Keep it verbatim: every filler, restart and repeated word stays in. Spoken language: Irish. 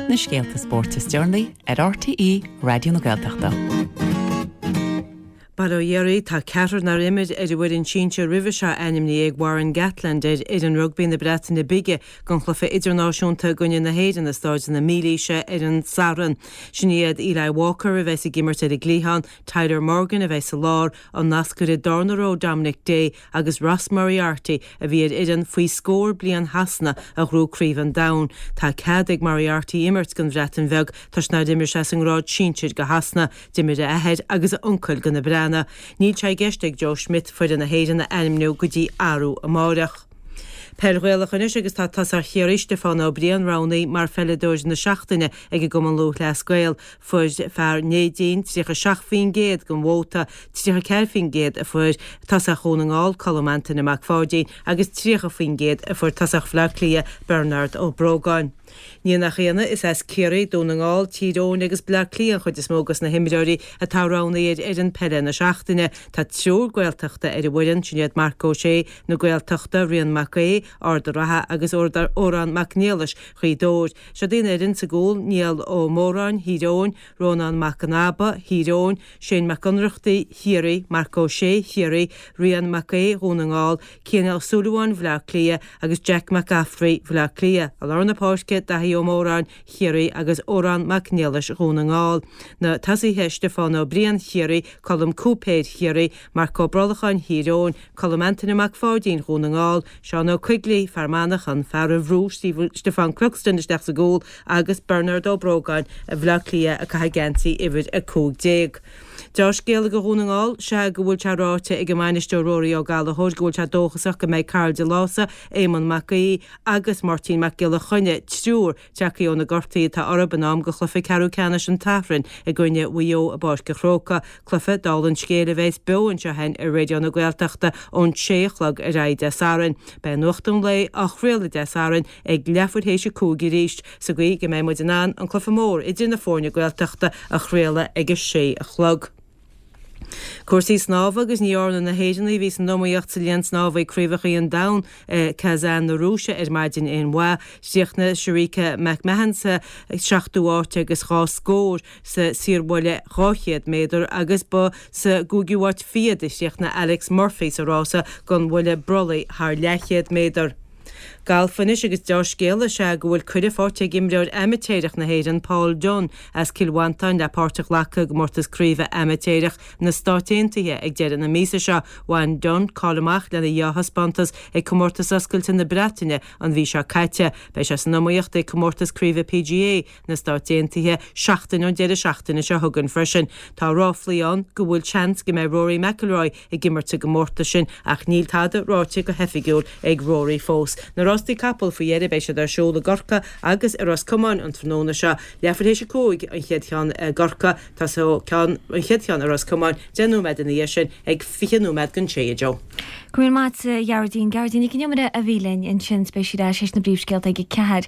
Na scéalta spóirt is deireanaí ar RTÉ Raidió na Gaeltachta. Bail ó Dhia oraibh tá ceathrar nár imir ar an bhfoireann sinsir roimhe seo ainmnithe ag Warren Gatland ar fhoireann rugbaí na Breataine Bige don chluiche idirnáisiúnta i gcoinne na hÉireann i Staid na Mílaoise ar an Satharn. Sin iad Eli Walker a bheas ag imirt ar an gcliathán, Tyler Morgan a bheas sa lár, an nascaire darna ró Dominic Day agus Ross Moriarty a bhí ar fhoireann faoi scór bliain Shasana a ghnóthaigh Craobh an Domhain. Tá cead ag Moriarty imirt don Bhreatain Bheag toisc nár imir sé sa ngrád sinsir do Shasana, d'imir a athair agus a uncail do na Breathnaigh. Níl sé i gceist ag Joe Schmidt foireann na hÉireann a ainmniú go dtí arú amárach. Peil Ghaelach anois agus tá tosach Chiarraí Stiofán Ó Briain roghnaithe mar pheileadóir na seachtaine ag an gCumann Lúthchleas Gael. Fuair fear Neidín tríocha seacht faoin gcéad den vóta, tríocha ceathair faoin gcéad a fuair tosach Dhún na nGall Colm Antaine Mac Pháidín agus tríocha faoin gcéad a fuair tosach Bhaile Átha Cliath Bernard Ó Brógáin. Ní nach ionadh, is as Ciarraí, Dún na nGall, Tír Eoghain agus Bleá Cliath an chuid is mó de na himreoirí atá roghnaithe ar fhoireann peile na seachtaine. Tá triúr Gaeltachta ar an bhfoireann, sin iad Marc Ó Sé na Gaeltachta, Rian Mac Aodha, Ard an Rátha agus Odhrán Mac Niallais, Ghaoth Dobhair. Seo í an fhoireann sa gcúl, Niall Ó Móráin, Thír Eoghain, Rónán Mac an Aba, Thír Eoghain, Shane Mac Ionnrachtaigh, Chiarraí, Marc Ó Sé, Chiarraí, Rian Mac Aodha, Dhún na nGall, Cian Ó Súilleabháin, Bhaile Átha Cliath agus Jack McCaffrey, Bhaile Átha Cliath. I lár na páirce, Daithí Ó Móráin, Chiarraí agus Odhrán Mac Niallais, Dhún na nGall. Na tosaithe Stiofán Ó Briain, Chiarraí, Colm Cúipéir, Chiarraí, Marc Ó Brollacháin, Thír Eoghain, Colm Antaine Mac Pháidín, Dhún na nGall, Seán Ó Coigligh, Fear Manach, an fear a bhrúigh Stiofán Cluxton isteach sa gcúl agus Bernard Ó Brógáin, Bhaile Átha Cliath ag caitheamh geansaí uimhir a cúig déag. Dea-scéala do Dhún na nGall sea go bhfuil sé ráite ag an mbainisteoir Rory Ó Gallchóir go bhfuil sé dóchasach go mbeidh Karl De Lása, Éamonn Mac Aoidh agus Máirtín Mac Giolla Chainnigh, triúr tagtha ó na gortuithe atá orthu in am do chluiche ceathrú ceannais an tSathairn i gcoinne Mhaigh Eo i bPáirc an Chrócaigh. Cluiche dála an scéil a bheas beo anseo againn ar Raidió na Gaeltachta ón sé a chlog ar aghaidh Dé Sathairn. Beidh Nuacht an Lae á chraoladh Dé Sathairn ag leathuair théis a cúig arís, sa gcaoi go mbeidh muid in ann an cluiche mór idir na foirne Gaeltachta a chraoladh ag a sé a chlog. Cúrsaí snámha agus ní dhearna na hÉireannaigh a bhí san iomaíocht sa linn snámha ag Craobhacha an Domhain i Kazan na Rúise ar maidin aon mhaith. Chríochnaigh Sharika McMahon sa seachtú háit agus dhá scór sa saorbhuille dhá chéad méadar agus ba sa gcúigiú háit fichead a chríochnaigh Alex Murphy sa rása don bhuille brollaigh thar leathchéad méadar. Galf anois agus dea-scéala is ea go bhfuil cuireadh faighte ag imreoir amaitéarach na hÉireann Paul Dunne as Cill Mhantáin le páirt a ghlacadh i gcomórtas craoibhe amaitéarach na Stát Aontaithe ag deireadh na míosa seo. Bhain Dunne cáil amach lena dhea-thaispeántas ag comórtas oscailte na Breataine an mhí seo caite. Beidh sé san iomaíocht ag comórtas craoibhe PGA na Stát Aontaithe seachtain ón deireadh seachtaine seo chugainn freisin. Tá ráflaí ann go bhfuil seans go mbeidh Rory McIlroy ag imirt sa gcomórtas sin ach níl tada ráite go hoifigiúil ag Rory fós. Na rástaí capall faoi dheireadh beidh siad ar siúl i gCorcaigh agus i Ros Comáin an tráthnóna seo. Leathuair théis a cúig an chéad cheann i gCorcaigh, tosóidh ceann an chéad cheann i Ros Comáin deich nóiméad ina dhiaidh sin ag fiche nóiméad don sé a Joe. Go raibh míle maith agat a Ghearóidín. Gearóidín Nic an Iomaire a bhí linn ansin beidh sí ar ais leis na príomhscéalta ag a ceathair.